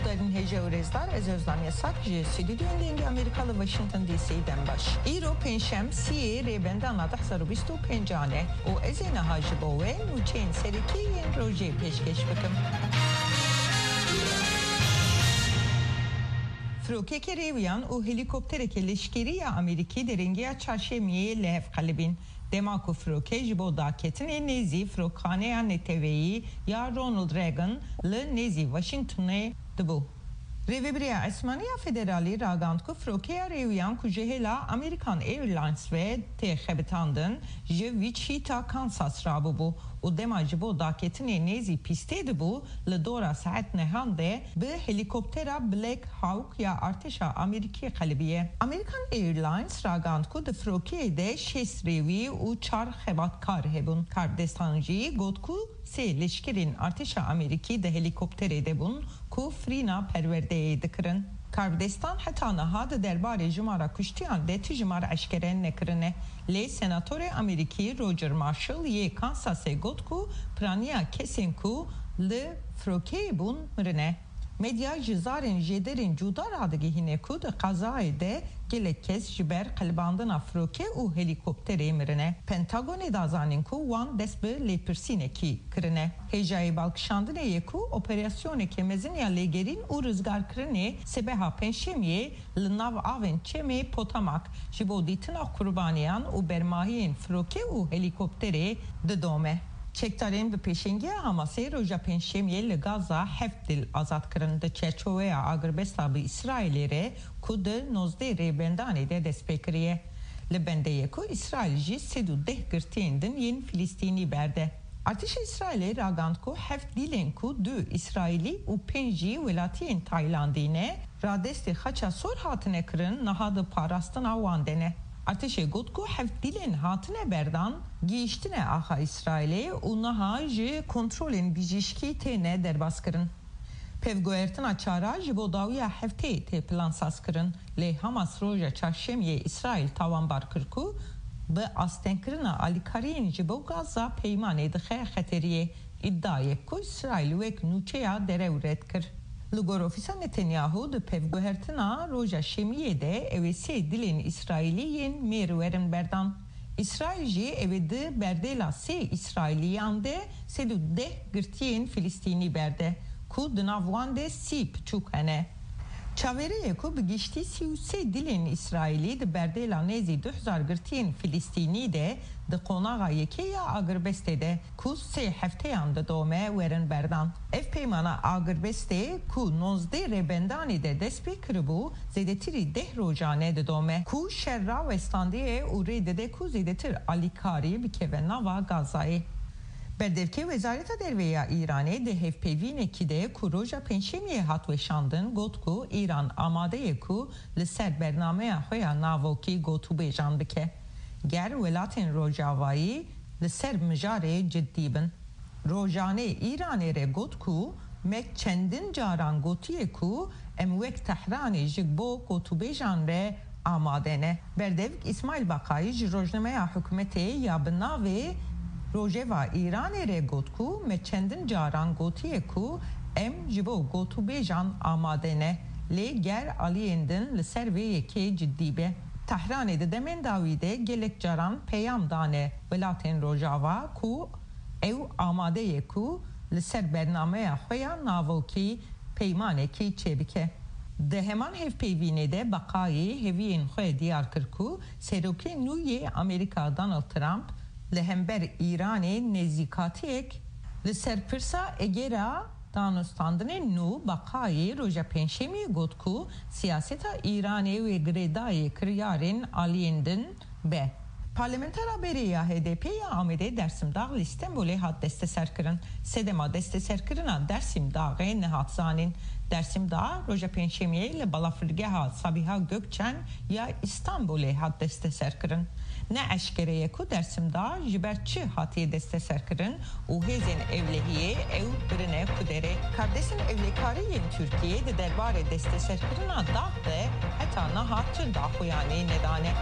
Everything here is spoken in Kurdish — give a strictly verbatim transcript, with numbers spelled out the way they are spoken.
Guhdarên hêja û rêzdar, ez Özlem Yasak ji Stûdyoyên Dengê Amerîka li Washington D C dem baş. Îro pêncşem, sîyê Rêbendana du hezar û bîst û pêncan e û ez ê niha ji bo we nûçeyên serekî yên rojê pêşkêş bikim. Firokeke rêwiyan û helîkoptereke leşkerî ya Amerîkî derengiya çarşemiyê li hev qelibîn. Dema ku firoke ji bo daketinê nêzî firokxaneya neteweyî ya Ronald Reagan li nêzî Washingtonê dibû. Rêvebiriya Esmanî ya Federalî ragand ku firokeya rêwiyan ku ji hêla American Airlines ve tê xebitandin, ji Wichita, Kansas rabûbû û dema ji bo daketinê nêzî pîstê dibû, li dora saet nehan de bi helîkoptera Black Hawk ya artêşa Amerîkî qelibiye. American Airlines ragand ku di firokeyê de şêst rêwî û çar xebatkar hebûn. Karbidestan jî got ku sê leşkerên artêşa Amerîkî di helîkopterê de bûn ku firîna perwerdeyê dikirin. Karbidestan heta niha di derbarê jimara kuştiyan de tu jimar eşkere nekirine. Lê senatorê Amerîkî Roger Marshall yê Kansasê got ku piraniya kesên ku li firokeyê bûn mirine. Medya ji zarên jêderên cuda radigihîne ku di qezayê de gelek kes ji ber qelibandina firoke û helîkopterê mirine. Pentagonê da zanîn ku wan dest bi lêpirsînekî kirine. Hêjayî balkişandinê ye ku operasyoneke mezin ya lêgerîn û rizgarkirinê sibeha Pêncşemiyê li nav avên çemê Potomac ji bo dîtina qurbaniyan û bermahiyên firoke û helîkopterê didome. Çekdarên bi pêşengiya Hamasê roja Pêncşemiyê li Gaza heft dîl azad kirin. Di çerçoveya agirbesta bi Îsraîlê re ku di nozdeh Rêbendanê de dest pê kiriye. Li bendê ye ku Îsraîl jî sed û deh girtiyên din yên Filistînî berde. Artêşa Îsraîlê ragand ku heft dîlên ku du Îsraîlî û pênc jî welatiyên Taylandî ne, radestê Xaça Sor hatine kirin, niha di parastina wan de ne. Artêşê got ku heft dîlên hatine berdan, gihîştine axa Îsraîlê û niha ji kontrolên bijîşkî têne derbaskirin. Pevguhertina çara ji bo dawiya hefteyê tê plansazkirin, lê Hamas roja çarşemiyê Îsraîl tawanbar kir ku bi astengkirina alîkariyên ji bo Gaza peymanê dixe xeteriyê. Îdia ye ku Îsraîl wek nûçeya derew red kir. Li gor ofîsa Netanyahu di pevguhertina roja şemiyê de ew ê sê dilên Îsraîlî yên mêr werin berdan. Îsraîl jî ew ê di berdêla sê Îsraîliyan de sed û deh girtiyên Filistînî berde ku di nav wan de sî piçûk hene. Çaverê ye ku bi giştî sî û sê dilên Îsraîlî di berdêla nêzî du hezar girtiyên Filistînî de di qonaxa yekê ya agirbestê de ku sê hefteyan didome werin berdan. Ev peymana agirbestê ku nozdeh Rêbendanê de dest pê kiribû, zêdetirî deh rojan e didome ku şer rawestandiye û rê dide ku zêdetir alîkarî bikeve nava Gazayê. Berdevkê Wezareta Derve ya Îranê di hevpeyvînekî de ku roja Pêncşemiyê hat weşandin, got ku Îran amade ye ku li ser bernameya xwe ya navokî gotûbêjan bike, ger welatên Rojavayî li ser mijarê cidî bin. Rojanê Îranê re got ku me çendin caran gotiye ku em wek Tehranê ji bo gotûbêjan re amade ne. Berdevk Îsmaîl Baqayî ji rojnameya hikûmetê ya bi navê Rojeva Îranê re got ku me çendin caran gotiye ku em ji bo gotûbêjan amade ne, lê ger aliyên din li ser vê yekê cidî be. Tehranê di demên dawî de gelek caran peyam dane welatên Rojava ku ew amade ye ku li ser bernameya xwe ya navokî peymanekî çêbike. Di heman hevpeyvînê de Baqayî hêviyên xwe diyar kir ku Serokê nû yê Amerîka Donald Trump li hember Îranê nêzîkatiyek li ser pirsa egera danûstandinên nû. Baqayî roja Pêncşemiyê got ku siyaseta Îranê wê girêdayî kiryarên aliyên din be. Parlamentera berê ya H D P ya Amedê Dersim Dağ li Stenbolê hat desteserkirin. Sedema desteserkirina Dersim Daxê nehat zanîn. Dersim Dağ roja Pêncşemiyê li balafirgeha Sabiha Gökçen ya Stenbolê hat desteserkirin. Ne eşkere ye ku Dersim Dağ ji ber çi hatiye desteserkirin û hêzên ewlehiyê ew birine ku derê. Karbidestên ewlekarî yên Tirkiyê di derbarê desteserkirina dax de heta niha tu daxuyanî nedane.